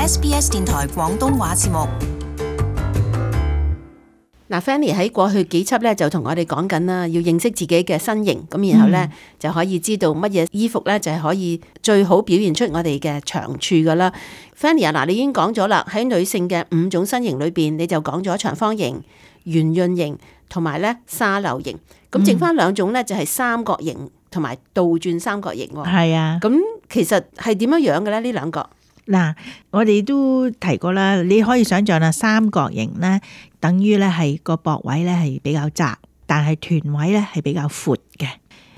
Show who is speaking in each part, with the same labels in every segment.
Speaker 1: SBS 電台廣東話節目。
Speaker 2: 嗱，Fanny 喺過去幾輯咧就同我哋講緊啦，要認識自己嘅身形，咁然後咧就可以知道乜嘢衣服咧就係可以最好表現出我哋嘅長處噶啦。Fanny 啊，嗱，你已經講咗啦，喺女性嘅5種身形裏邊，你就講咗長方形、圓潤型同埋咧沙漏型，咁剩翻2種咧就係三角形同埋倒轉三角形喎。
Speaker 3: 係啊，
Speaker 2: 咁其實係點樣樣嘅咧？呢兩個？
Speaker 3: 嗱，我哋都提過啦，你可以想象啦，三角形咧，等於咧係個膊位咧係比較窄，但係臀位咧係比較闊嘅。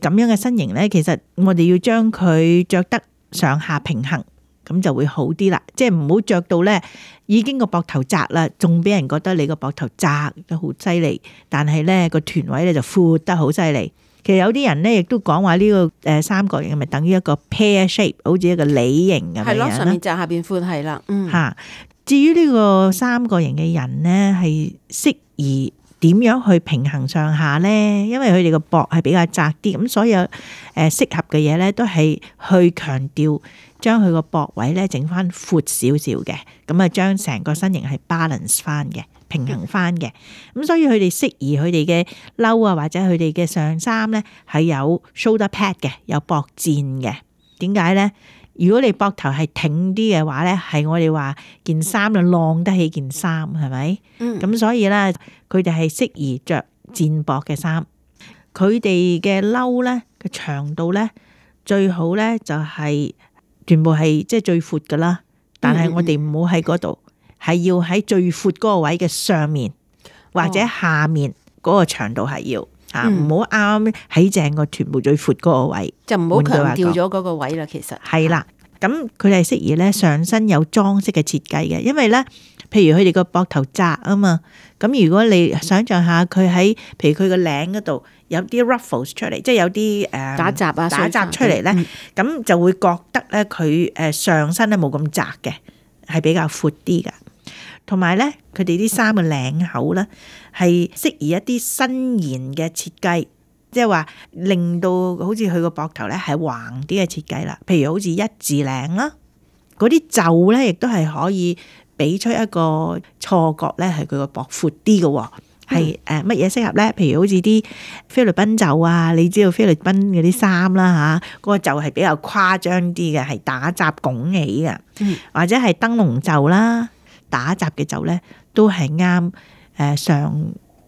Speaker 3: 咁樣嘅身形咧，其實我哋要將佢着得上下平衡，咁就會好啲啦。即係唔好着到咧已經個膊頭窄啦，仲俾人覺得你個膊頭窄得好犀利，但係咧個臀位咧就闊得好犀利。其實有啲人咧，亦都講話呢個三角形係咪等於一個 pear shape， 好似一個梨形咁樣。
Speaker 2: 係咯，上面窄下邊寬，係啦。
Speaker 3: 嚇，至於呢個三角形嘅人咧，係適宜點樣去平衡上下咧？因為佢哋個膊係比較窄啲，咁所有適合嘅嘢咧，都係去強調將佢個膊位咧整翻闊少少嘅，咁啊將成個身形係 balance 翻嘅。平衡翻嘅，咁所以佢哋適宜佢哋嘅褸啊，或者佢哋嘅上衫咧係有 shoulder pad 嘅，有膊墊嘅。點解咧？如果你膊頭係挺啲嘅話咧，係我哋話件衫就晾得起件衫，係咪？咁所以咧，佢哋係適宜着墊膊嘅衫。佢哋嘅褸咧嘅長度咧最好咧就係全部係即係最闊噶啦，但係我哋唔好喺嗰度。係要喺最闊嗰個位嘅上面或者下面嗰個長度係要嚇，唔好啱喺正個臀部最闊嗰個位，
Speaker 2: 就唔好強調咗嗰個位啦。其實
Speaker 3: 係啦，咁佢哋係適宜咧上身有裝飾嘅設計嘅，因為咧，譬如佢哋個膊頭窄啊嘛，咁如果你想象下佢喺譬如佢個領嗰度有啲 ruffles 出嚟，即係有啲
Speaker 2: 打褶啊
Speaker 3: 打褶出嚟咧，咁就會覺得咧佢上身咧冇咁窄嘅，係比較闊啲噶。同埋咧，佢哋啲衫嘅領口咧係適宜一啲伸延嘅設計，即係話令到好似佢個膊頭咧係橫啲嘅設計啦。譬如好似一字領啦，嗰啲袖咧亦都係可以俾出一個錯覺咧，係佢個膊闊啲嘅。係乜嘢適合咧？譬如好似啲菲律賓袖啊，你知道菲律賓嗰啲衫啦嚇，嗰個袖係比較誇張啲嘅，係打褶拱起嘅，或者係燈籠袖啦。打褶嘅袖咧，都係啱上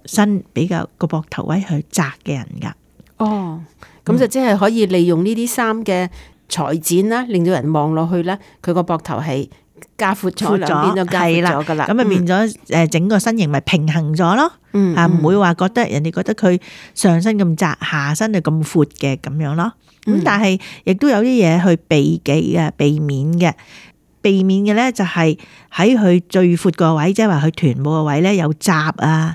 Speaker 3: 身比較個膊頭位去窄嘅人噶。
Speaker 2: 哦，咁就即係可以利用呢啲衫嘅裁剪啦，令到人望落去咧，佢個膊頭係加闊咗，兩邊都加闊咗噶啦。咁啊變咗整個身形咪平衡咗咯。唔會話覺得人哋覺得佢上身咁窄，下身就咁闊嘅咁樣咯。咁但係亦都有啲嘢去避忌嘅，避免嘅。避免嘅咧就係喺佢最闊個位，即係話佢臀部個位咧有褶啊、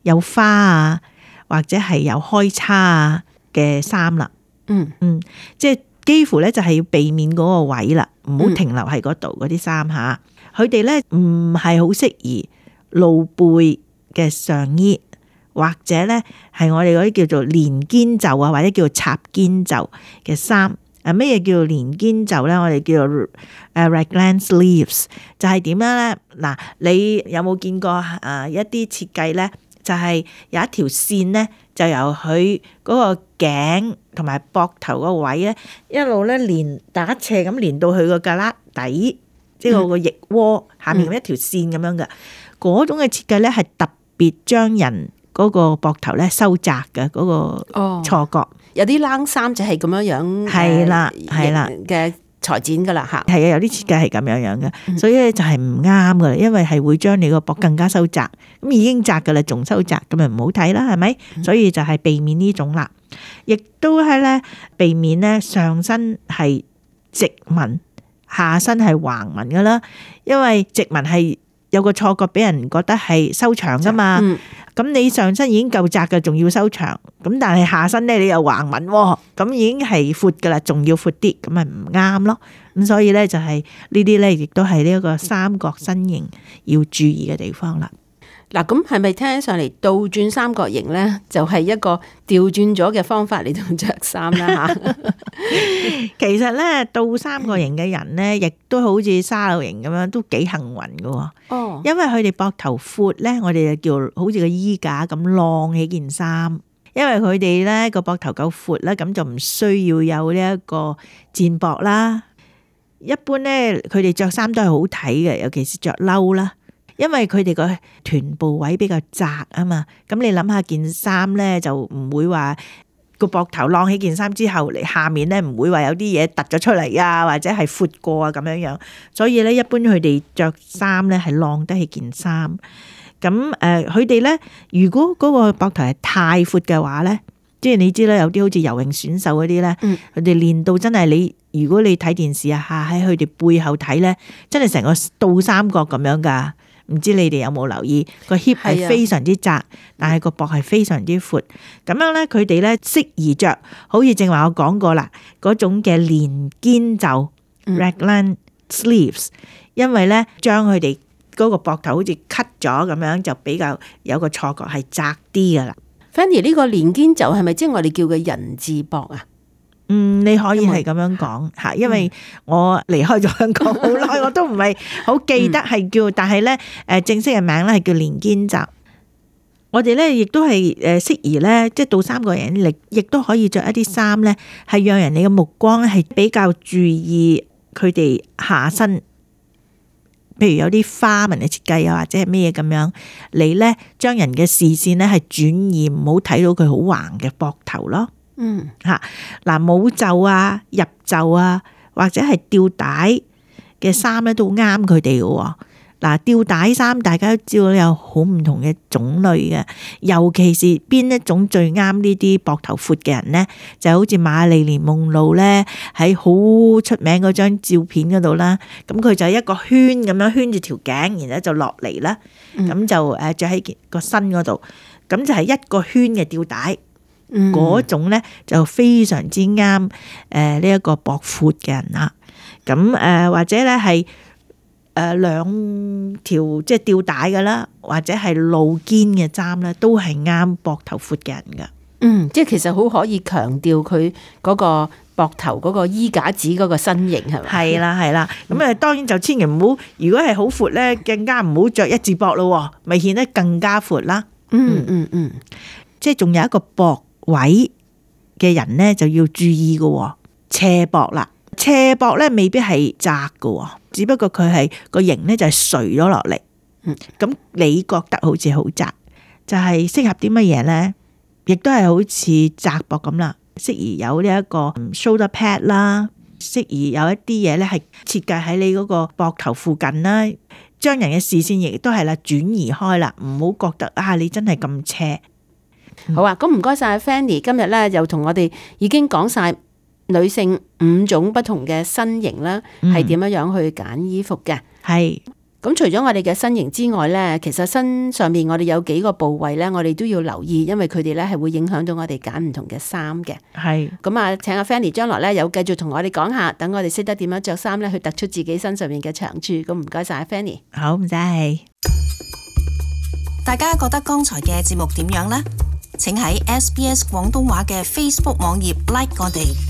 Speaker 2: 有花啊，或者係有開叉啊嘅衫啦。即係幾乎咧就係要避免嗰個位啦，唔好停留喺嗰度嗰啲衫嚇。佢哋咧唔係好適宜露背嘅上衣，或者咧係我哋嗰啲叫做連肩袖啊，或者叫做插肩袖嘅衫。咩嘢叫做連肩袖咧？我哋叫做raglan sleeves， 就係點樣咧？嗱，你有冇見過一啲設計咧？就係有一條線咧，就由佢嗰個頸同埋膊頭個位咧，一路咧連打斜咁連到佢個胳肋底，即係個腋窩下面一條線咁樣嘅。嗰種嘅設計咧係特別將人嗰個膊頭咧收窄嘅嗰個錯覺。有啲冷衫就係咁樣
Speaker 3: 係啦
Speaker 2: 嘅裁剪噶啦嚇。
Speaker 3: 係啊，有啲設計係咁樣嘅，所以咧就係唔啱噶啦，因為係會將你個膊更加收窄。咁已經窄噶啦，仲收窄，咁咪唔好睇啦，係咪？所以就係避免呢種啦，亦都係咧避免咧上身係直紋，下身係橫紋噶啦，因為直紋係有個錯覺俾人覺得係收長噶嘛。咁你上身已經夠窄嘅，仲要收長，咁但係下身咧你又橫紋喎，咁已經係闊噶啦，仲要闊啲，咁咪唔啱咯。咁所以咧就係呢啲咧，亦都係呢一個三角身形要注意嘅地方啦。
Speaker 2: 嗱，咁係咪聽起上嚟倒轉三角形咧，就係一個調轉咗嘅方法嚟到着衫啦吓？
Speaker 3: 其實咧，倒三角形嘅人咧，亦都好似沙漏形咁樣，都幾幸運㗎。
Speaker 2: 哦，
Speaker 3: 因為佢哋膊頭闊咧，我哋就叫好似個衣架咁晾起件衫。因為佢哋咧個膊頭夠闊啦，咁就唔需要有呢一個墊膊啦。一般咧，佢哋着衫都係好睇嘅，尤其是着褸啦。因為佢哋個臀部位比較窄啊嘛，咁你諗下件衫咧就唔會話個膊頭晾起件衫之後嚟下面咧唔會話有啲嘢突咗出嚟啊，或者係闊過啊咁樣樣。所以咧一般佢哋着衫咧係晾得起件衫。咁佢哋咧如果嗰個膊頭係太闊嘅話咧，即係你知啦，有啲好似游泳選手嗰啲咧，佢哋練到真係你如果你睇電視啊，喺佢哋背後睇咧，真係成個倒三角咁樣噶。唔知你哋有冇留意個 hip 係非常之窄，但係個膊係非常之闊。咁樣咧，佢哋咧適宜着，好似正話我講過啦，嗰種嘅連肩袖 raglan sleeves， 因為咧將佢哋嗰個膊頭好似 cut 咗咁樣，就比較有個錯覺係窄啲噶啦。
Speaker 2: Fanny 呢個連肩袖係咪即係我哋叫嘅人字膊啊？
Speaker 3: 你可以係咁樣講吓，因為我離開咗香港好耐，我都唔係好記得係叫，但係咧正式嘅名咧係叫連肩袖。我哋咧亦都係適宜咧，即係倒三角形，亦都可以着一啲衫咧，係讓人哋嘅目光係比較注意佢哋下身，譬如有啲花紋嘅設計啊，或者係咩嘢咁樣，你咧將人嘅視線咧係轉移，唔好睇到佢好橫嘅膊頭咯。嗱，冇袖啊、入袖啊，或者係吊帶嘅衫咧，都啱佢哋嘅。嗱，吊帶衫大家都知道有好唔同嘅種類嘅，尤其是邊一種最啱呢啲膊頭闊嘅人咧，就好似瑪麗蓮夢露咧喺好出名嗰張照片嗰度啦。咁佢就一個圈咁樣圈住條頸，然後就落嚟啦。咁就着喺個身嗰度，咁就係一個圈嘅吊帶。嗰種咧就非常之啱呢一個膊闊嘅人啦。咁或者咧係兩條即係吊帶嘅啦，或者係露肩嘅衫咧，都係啱膊頭闊嘅人噶。
Speaker 2: 即係其實好可以強調佢嗰個膊頭嗰個衣架子嗰個身形係咪？
Speaker 3: 係啦係啦。咁當然就千祈唔好，如果係好闊咧，更加唔好着一字膊咯，咪顯得更加闊啦。即係仲有一個膊位嘅人咧就要注意嘅，斜膊啦。斜膊咧未必係窄嘅，只不過佢係個形咧就係垂咗落嚟。咁你覺得好似好窄，就係適合啲乜嘢咧？亦都係好似窄膊咁啦，適宜有呢一個 shoulder pad 啦，適宜有一啲嘢咧係設計喺你嗰個膊頭附近啦，將人嘅視線亦都係啦轉移開啦，唔好覺得你真係咁斜。
Speaker 2: 好啊，咁唔該晒 Fanny， 今日咧又同我哋已經講晒女性5種不同嘅身形啦，係點樣樣去揀衣服嘅。係，咁除咗我哋嘅身形之外咧，其實身上面我哋有幾個部位咧，我哋都要留意，因為佢哋咧係會影響到我哋揀唔同嘅衫嘅。係，咁啊，請阿 Fanny 將來咧有繼續同我哋講下，等我哋識得點樣着衫咧，去突出自己身上面嘅長處。咁唔該晒 Fanny。
Speaker 3: 好，唔使氣。
Speaker 1: 大家覺得剛才嘅節目點樣呢？請喺SBS 廣東話嘅 Facebook 網頁 like 我哋。